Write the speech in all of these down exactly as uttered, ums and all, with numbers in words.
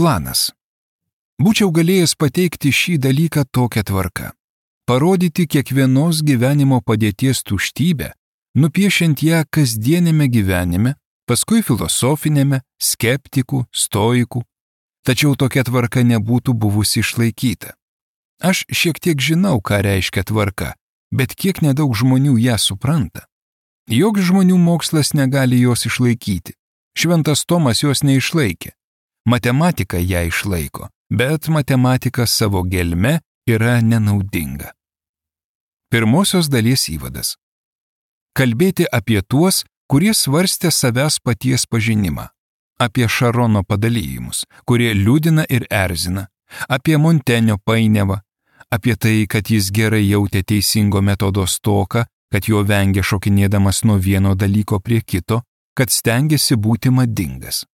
Planas. Būčiau galėjęs pateikti šį dalyką tokią tvarką. Parodyti kiekvienos gyvenimo padėties tuštybę, nupiešiant ją kasdienėme gyvenime, paskui filosofinėme, skeptikų, stoikų. Tačiau tokia tvarka nebūtų buvusi išlaikyta. Aš šiek tiek žinau, ką reiškia tvarka, bet kiek nedaug žmonių ją supranta. Joks žmonių mokslas negali jos išlaikyti. Šventas Tomas jos neišlaikė. Matematika ją išlaiko, bet matematika savo gelme yra nenaudinga. Pirmosios dalies įvadas. Kalbėti apie tuos, kurie svarstė savęs paties pažinimą. Apie Šarono padalyjimus, kurie liūdina ir erzina. Apie Montenio painiavą. Apie tai, kad jis gerai jautė teisingo metodo stoką, kad jo vengė šokinėdamas nuo vieno dalyko prie kito, kad stengiasi būti madingas.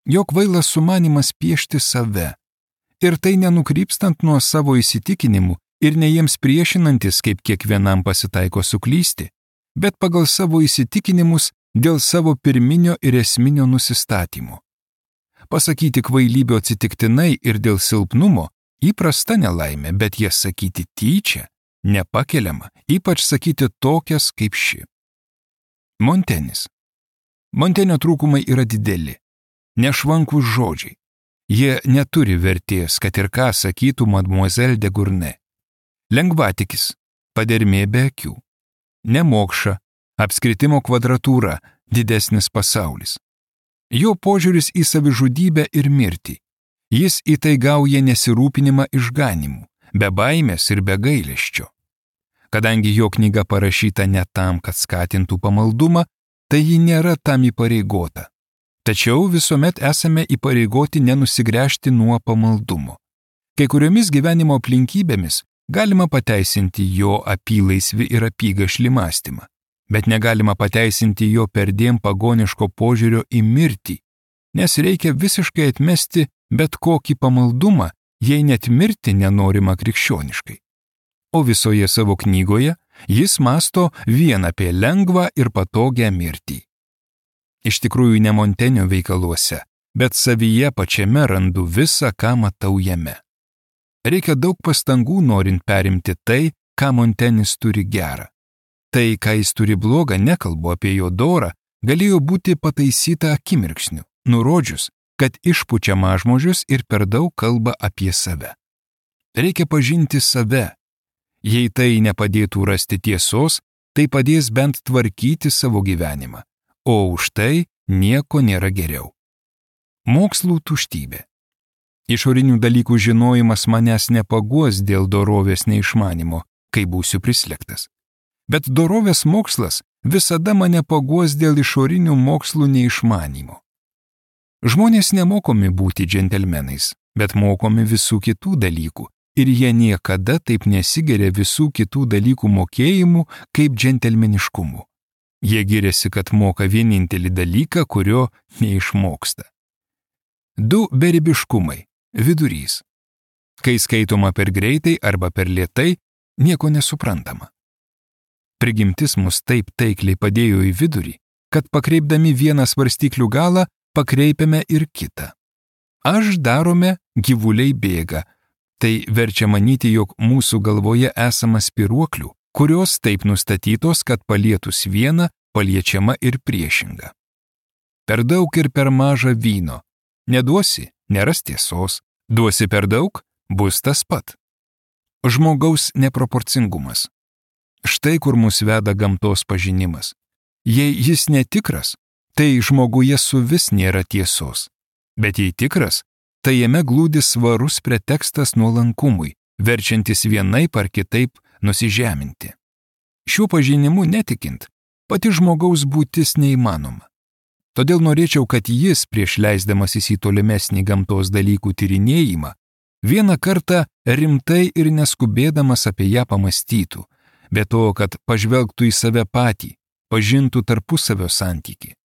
Jo kvailas sumanimas piešti save. Ir tai nenukrypstant nuo savo įsitikinimų ir ne jiems priešinantis, kaip kiekvienam pasitaiko suklysti, bet pagal savo įsitikinimus dėl savo pirminio ir esminio nusistatymo. Pasakyti kvailybio atsitiktinai ir dėl silpnumo įprasta nelaimė, bet jas sakyti tyčia nepakeliama, ypač sakyti tokias kaip ši. Montenis. Montenio trūkumai yra dideli, nešvankūs žodžiai. Jie neturi vertės, kad ir ką sakytų Mademoiselle de Gournay. Lengvatikis, padermė be akių. Nemokša, apskritimo kvadratūra, didesnis pasaulis. Jo požiūris į savižudybę ir mirtį. Jis į tai gauja nesirūpinimą išganimų, be baimės ir be gailesčio. Kadangi jo knyga parašyta ne tam, kad skatintų pamaldumą, tai ji nėra tam įpareigota. Tačiau visuomet esame įpareigoti nenusigręžti nuo pamaldumo. Kai kuriomis gyvenimo aplinkybėmis galima pateisinti jo apylaisvį ir apygašlį mąstymą, bet negalima pateisinti jo perdėm pagoniško požiūrio į mirtį, nes reikia visiškai atmesti bet kokį pamaldumą, jei net mirti nenorima krikščioniškai. O visoje savo knygoje jis mąsto vien apie lengvą ir patogią mirtį. Iš tikrųjų ne Montenio veikaluose, bet savyje pačiame randu visą, ką matau jame. Reikia daug pastangų norint perimti tai, ką Montenis turi gerą. Tai, ką jis turi blogą, nekalbu apie jo dorą, galėjo būti pataisyta akimirksniu, nurodžius, kad išpučia mažmožius ir per daug kalba apie save. Reikia pažinti save. Jei tai nepadėtų rasti tiesos, tai padės bent tvarkyti savo gyvenimą, o už tai nieko nėra geriau. Mokslų tuštybė. Išorinių dalykų žinojimas manęs nepaguos dėl dorovės neišmanimo, kai būsiu prislėgtas. Bet dorovės mokslas visada mane paguos dėl išorinių mokslų neišmanimo. Žmonės nemokomi būti džentelmenais, bet mokomi visų kitų dalykų, ir jie niekada taip nesigeria visų kitų dalykų mokėjimų kaip džentelmeniškumu. Jie giriasi, kad moka vienintelį dalyką, kurio neišmoksta. Du beribiškumai – vidurys. Kai skaitoma per greitai arba per lėtai, nieko nesuprantama. Prigimtis mus taip taikliai padėjo į vidurį, kad pakreipdami vieną svarstyklių galą, pakreipiame ir kitą. Aš darome, gyvuliai bėga. Tai verčia manyti, jog mūsų galvoje esama spiruoklių, kurios taip nustatytos, kad palietus vieną, paliečiama ir priešinga. Per daug ir per maža vyno. Neduosi, neras tiesos. Duosi per daug, bus tas pat. Žmogaus neproporcingumas. Štai kur mus veda gamtos pažinimas. Jei jis netikras, tai žmoguje suvis nėra tiesos. Bet jei tikras, tai jame glūdi svarus pretekstas nuolankumui, verčiantis vienaip ar kitaip nusižeminti. Šiuo pažinimu netikint, pati žmogaus būtis neįmanoma. Todėl norėčiau, kad jis, prieš leisdamasis į tolimesnį gamtos dalykų tyrinėjimą, vieną kartą rimtai ir neskubėdamas apie ją pamastytų, be to, kad pažvelgtų į save patį, pažintų tarpusavio santykį.